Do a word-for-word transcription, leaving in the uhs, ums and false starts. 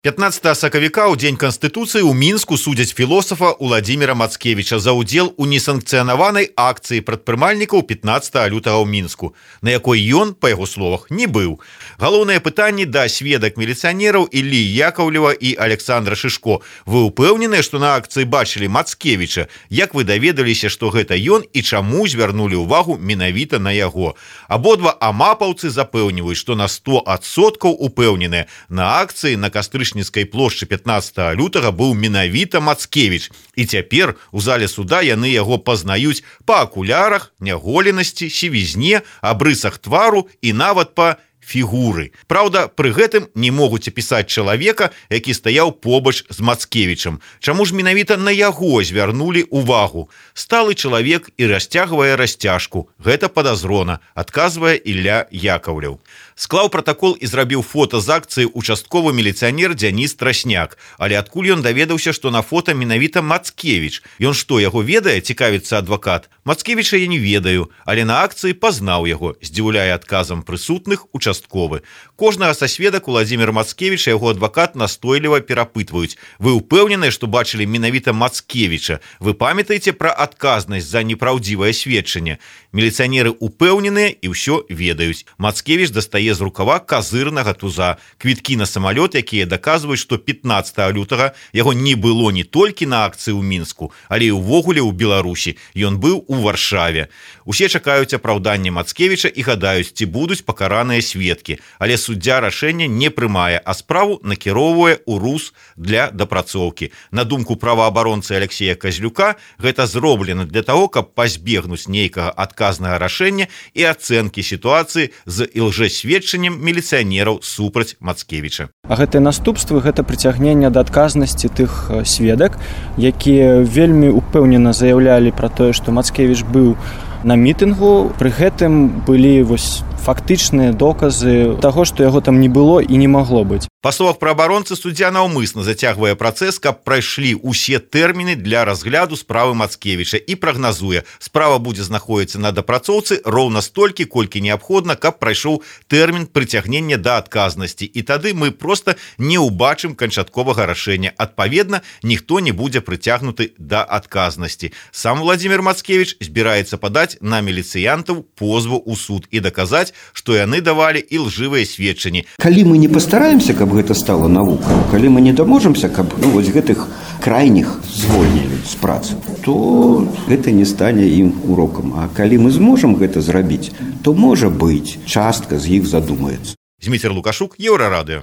пятнадцатого сакавіка ў дзень Канстытуцыі ў Мінску судзяць філосафа Уладзіміра Мацкевіча за ўдзел у несанкцыянаванай акцыі прадпрымальнікаў пятнадцатого лютага ў Мінску, на якой ён, па яго словах, не быў. Галоўнае пытанне да сведак міліцыянераў Іллі Яковлева і Александра Шишко. Вы ўпэўненыя, што на акцыі бачылі Мацкевіча? Як вы даведаліся, што гэта ён і чаму звярнулі ўвагу менавіта на яго? Абодва амапаўцы запэўніваюць, што на сто адсоткаў упэўненыя, на акцыі на кастрычніцкай плошчы пятнадцатого лютага быў менавіта Мацкевіч. І цяпер у зале суда яны яго пазнаюць па акулярах, няголенасці, сівізне, абрысах твару і нават па фігуры. Праўда, пры гэтым не могуць апісаць чалавека, які стаяў побач з Мацкевічам. Чаму ж менавіта на яго звярнулі ўвагу? Сталы чалавек і расцягвае расцяжку. Гэта падазрона, адказвае Ілля Яковлеў. Склаў пратакол і зрабіў фота з акцыі участковы міліцыянер Дзяніс Трасняк. Але адкуль ён даведаўся, што на фота менавіта Мацкевіч? Ён што, яго ведае, цікавіцца адвакат? Мацкевіча я не ведаю, але на акцыі пазнаў яго, здзіўляе адказам прысутных участковы. Кожнага са сведак Уладзіміра Мацкевіча яго адвакат настойліва перапытваюць. Вы ўпэўненыя, што бачылі менавіта Мацкевіча? Вы памятаеце пра адказнасць за непраўдзівае сведчанне? Міліцыянеры ўпэўненыя і ўсё ведаюць. Мацкевіч дастае з рукава казырнага туза. Квіткі на самалёт, якія даказваюць, што пятнадцатого лютага яго не было не толькі на акцыі ў Мінску, але і ўвогуле ў Беларусі. Ён быў у Варшаве. Усе чакаюць апраўдання Мацкевіча і гадаюць, ці будуць пакараныя сведкі. Але суддзя рашэння не прымае, а справу накіроўвае ў РУС для дапрацоўкі. На думку праваабаронцы Алексея Казлюка, гэта зроблена для таго, каб пазбегнуць нейкага адказнага рашэння і ацэнкі сітуацыі з ілжэсведчаннем міліцыянераў супраць Мацкевіча. А гэтыя наступствы гэта прыцягнення да адказнасці тых сведак, якія вельмі упэўнена заяўлялі пра тое, што Мацкевіч быў на мітынгу, пры гэтым былі вось фактычныя доказы таго, што яго там не было і не магло быць. Па словах праабаронцы, суддзя наўмысна зацягвае працэс, каб прайшлі ўсе тэрміны для разгляду справы Мацкевіча і прагназуе, справа будзе знаходзіцца на дапрацоўцы роўна столькі, колькі неабходна, каб прайшоў тэрмін прыцягнення да адказнасці. І тады мы проста не ўбачым канчатковага рашэння. Адпаведна, ніхто не будзе прыцягнуты да адказнасці. Сам Уладзімір Мацкевіч збіраецца падаць на міліцыянтаў позву ў суд і даказаць, што яны давалі ілжывыя сведчанні. Калі мы не пастараемся, каб гэта стала навукай, калі мы не даможамся, каб ну, вось гэтых крайніх звольнілі з працы, то гэта не стане ім урокам. А калі мы зможам гэта зрабіць, то, можа быць, частка з іх задумаецца. Зміцер Лукашук, Еўрарадыё.